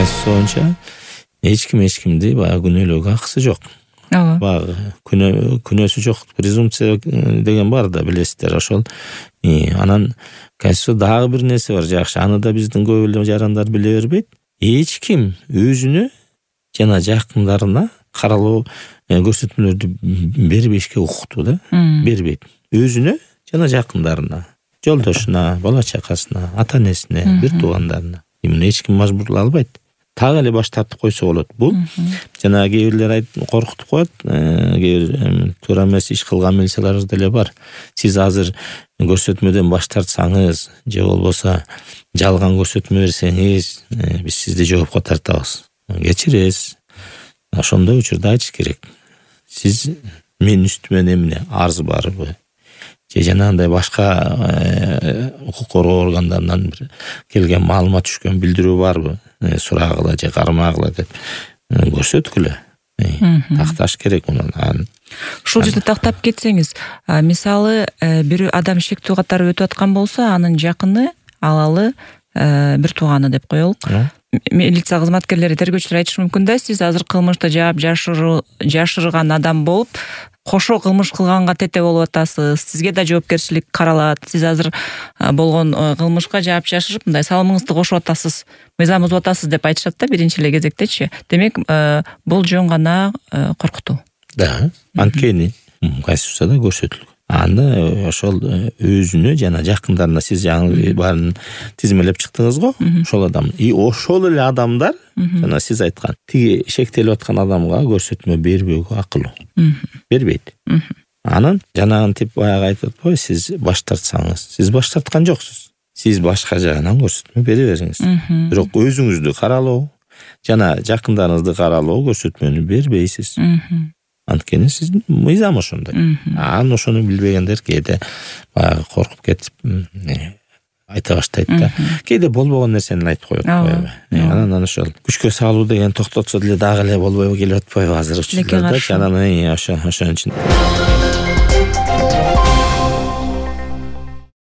Конституция боюнча эч кимди баягы күнөөлөөгө акысы жок. Ооба. Баягы күнөөсү жок презумпция деген бар да, билесиздер, ошол. Анан Конституция дагы бир нерсе бар жакшы. Аны да биздин көп эле жарандар биле бербейт. Эч ким өзүнө жана жакындарына каралоо көрсөтмөлөрдү бербешке укукту да, бербейт. Өзүнө жана жакындарына, жолдошуна, бала чакасына, ата энесине, бир туугандарына. Муну эч ким мажбурлай албайт. Так эле баш тартып койсо болот. Бул жана кээ бирлер коркутуп коет. Кээ бир туура эмес иш кылган милицияларыбыз деле бар. Сиз азыр көрсөтмөдөн баш тартсаңыз же болбосо жалган көрсөтмө берсеңиз, биз сизди жоопко тартабыз. Кечиресиз. Ошондой учурда айтыш керек. Сиз менин үстүмө эмне арыз барбы? Же жанагындай башка укук коргоо органдарынан бир келген маалымат түшкөн билдирүү барбы? Сурагыла же кармагыла деп көрсөткүлө. Такташ керек муну. Ушул жерде тактап кетсеңиз, мисалы бир адам шектүү катары өтүп аткан болсо, анын жакыны алалы бир тууганы деп коелук. Милиция кызматкерлери, тергөөчүлөр айтышы мүмкүн да, сиз азыр кылмышты жаап жашырган адам болуп, кошо кылмыш кылганга тете болуп атасыз, сизге да жоопкерчилик каралат, сиз азыр болгон кылмышка жаап жашырып, мындай салымыңызды кошуп атасыз, мыйзам бузуп атасыз деп айтышат да биринчи эле кезектечи. Демек, бул жөн гана коркутуу. Да, анткени Конституцияда көрсөтүлгөн. Аны ошол өзүнө жана жакындарына, сиз жаңы баарын тизмелеп чыктыңыз го, ошол адам. Ошол эле адамдар, жана сиз айткан, тиги шектелип аткан адамга көрсөтмө бербөөгө акылуу. Бербейт. Анан жанагын тип баягы айтып атпайбы, сиз баш тартсаңыз, сиз баш тарткан жоксуз. Сиз башка жагынан көрсөтмө бере бериңиз. Бирок өзүңүздү каралоо жана жакындарыңызды каралоо көрсөтмөнү бербейсиз. Анткени сиздин мыйзам ошондой. Ошону билбегендер кээде баягы коркуп кетип айта баштайт да. Кээде болбогон нерсени айтып коет коебу. Анан ошол күчкө салуу деген токтотсо деле дагы эле болбой келип атпайбы азыр учурда. Жанагы ошон үчүн.